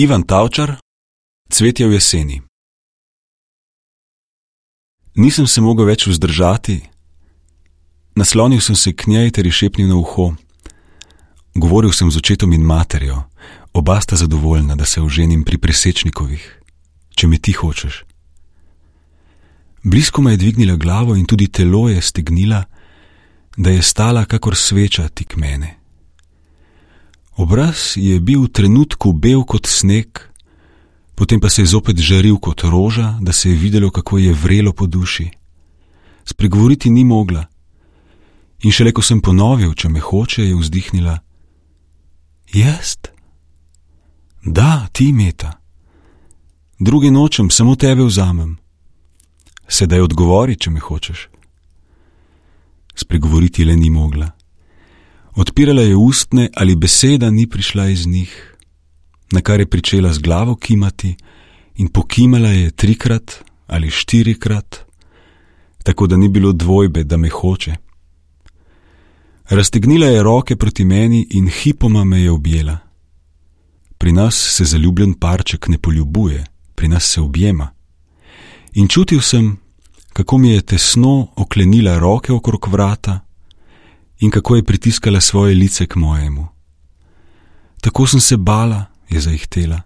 Ivan Tavčar, Cvetje v jeseni. Nisem se mogel več vzdržati, naslonil sem se k njej ter ji šepnil na uho. Govoril sem z očetom in materjo, oba sta zadovoljna, da se oženim pri Presečnikovih, če me ti hočeš. Blisko me je dvignila glavo in tudi telo je stegnila, da je stala kakor sveča tik mene. Obraz je bil v trenutku bel kot sneg, potem pa se je zopet žaril kot roža, da se je videlo, kako je vrelo po duši. Spregovoriti ni mogla in šele ko sem ponovil, če me hoče, je vzdihnila: Jaz? Da, ti, Meta. Druge nočem, samo tebe vzamem. Sedaj odgovori, če me hočeš. Spregovoriti le ni mogla. Odpirala je ustne, ali beseda ni prišla iz njih, na kar je pričela z glavo kimati in pokimala je 3 ali 4, tako da ni bilo dvojbe, da me hoče. Raztegnila je roke proti meni in hipoma me je objela. Pri nas se zaljubljen parček ne poljubuje, pri nas se objema. In čutil sem, kako mi je tesno oklenila roke okrog vrata in kako je pritiskala svoje lice k mojemu. Tako sem se bala, je zaihtela,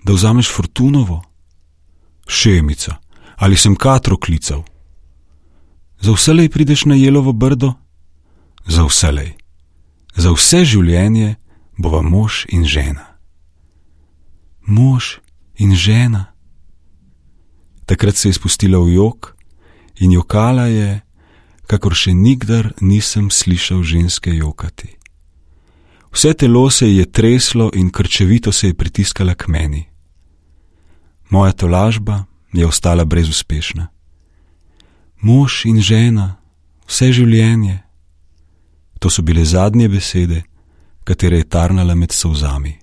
da vzameš Fortunovo. Šemica, ali sem Katro klical? Za vselej prideš na Jelovo Brdo? Za vselej. Za vse življenje bova mož in žena. Mož in žena. Takrat se je spustila v jok in jokala je, kakor še nikdar nisem slišal ženske jokati. Vse telo se je treslo in krčevito se je pritiskala k meni. Moja tolažba je ostala brezuspešna. Mož in žena, vse življenje. To so bile zadnje besede, katere je tarnala med solzami.